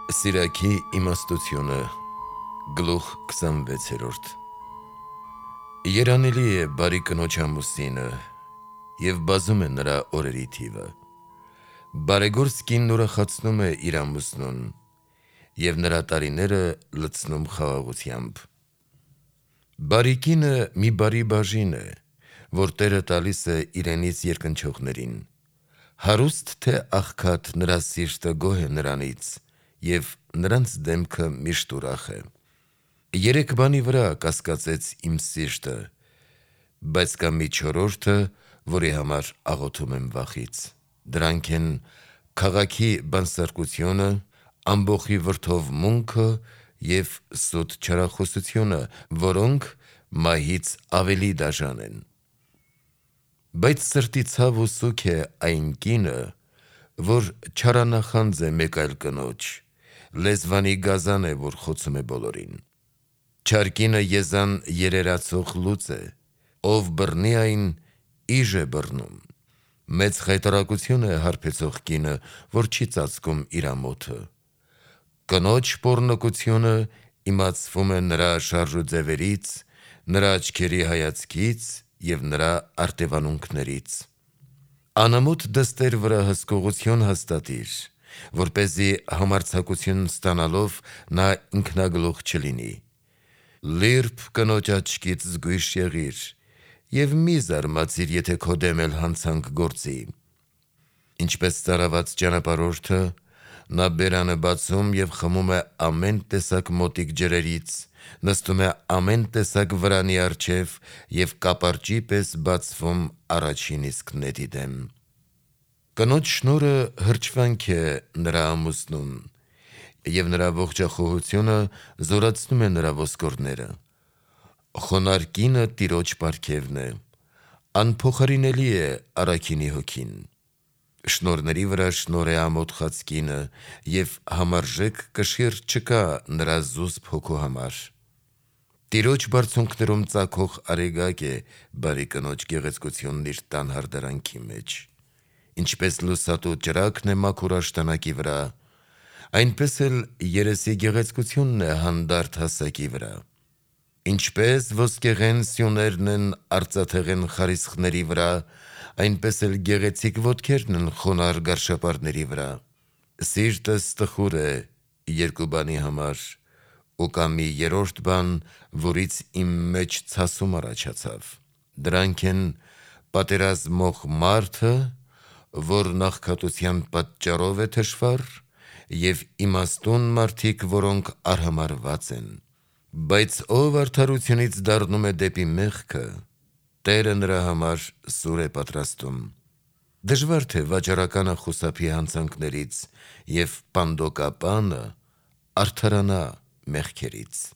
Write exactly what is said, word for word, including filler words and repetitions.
Սիրակի իմաստությունը գլուխ քսանվեցերորդ Երանելի է բարի կնոջ ամուսինը և բազում է նրա օրերի թիվը։ Բարեգործ կինն ուրախացնում է իր ամուսնուն և նրա տարիները լցնում խաղաղությամբ։ Բարի կինը մի բարի բաժին է, որ Տերը տալիս է իրենից երկնչողներին։ Հարուստ թե աղքատ, նրա սիրտը գոհ է նրանից և նրանց դեմքը միշտ ուրախ է։ Երեք բանի վրա կասկածեց իմ սիրտը, բայց կա մի չորրորդը, որի համար աղոթում եմ վախից։ Դրանք են քաղաքի բանսարկությունը, ամբոխի վրդովմունքը և սուտ չարախոսությունը, որոնք մահից ավելի դաժան են։ Բայց սրտի ցավ ու սուգ է այն կինը, որ չարանախանձ է մեկ այլ կնոջ, լեզվանի գազան է, որ խոցում է բոլորին։ Չար կինը եզան երերացող լուծ է, ով բռնի այն, իժ է բռնում։ Մեծ խայտառակություն է հարբեցող կինը, որ չի ծածկում իր ամոթը։ Կնոջ պոռնկությունը իմացվում է նրա շարժուձևերից, նրա աչքերի հայացքից և նրա արտևանունքներից։ Անամոթ դստեր վրա հսկողություն հաստատիր, որպեսզի համարձակություն ստանալով նա ինքնագլուխ չլինի։ Լիրբ կնոջ աչքից զգույշ եղիր և մի զարմացիր, եթե քո դեմ էլ հանցանք գործի։ Ինչպես ծարաված ճանապարհորդը, նա բերանը բացում և խմում է ամեն տեսակ մոտիկ ջրերից, նստում է ամեն տեսակ վրանի առջև և կապարճի պես բացվում առաջին իսկ նետի դեմ։ Կնոջ շնորհը հրճվանք է նրա ամուսնում, և նրա ողջախոհությունը զորացնում է նրա ոսկորները։ Խոնարհ կինը տիրոջ պարգևն է, անփոխարինելի է առաքինի հոգին։ Շնորհների վրա շնորհ է ամոթխած կինը, և համարժեք կշիռ չկա նրա զուսպ հոգու համար։ Տիրոջ բարձունքներում ծագող արեգակ է բարի կնոջ գեղեցկությունն իր տան հարդարանքի մեջ։ Ինչպես լուսատու ճրագն է մաքուր աշտանակի վրա, այնպես էլ երեսի գեղեցկությունն է հանդարտ հասակի վրա։ Ինչպես ոսկեղեն սյուներն են արծաթեղեն խարիսխների վրա, այնպես էլ գեղեցիկ ոտքերն են խոնարհ գարշապարների վրա։ Սիրտս տխուր է երկու բանի համար, ու կա մի երրորդ բան, որից իմ մեջ ցասում առաջացավ։ Դրանք են պատերազմող մարդը, որ նախքատության պատճառով է թշվառ, և իմաստուն մարդիկ, որոնք արհամարհված են։ Բայց ով արդարությունից դառնում է դեպի մեղքը, Տերը նրա համար սուր է պատրաստում։ Դժվար թե վաճառականը խուսափի հանցանքներից, և պանդոկապանը արդարանա մեղքերից։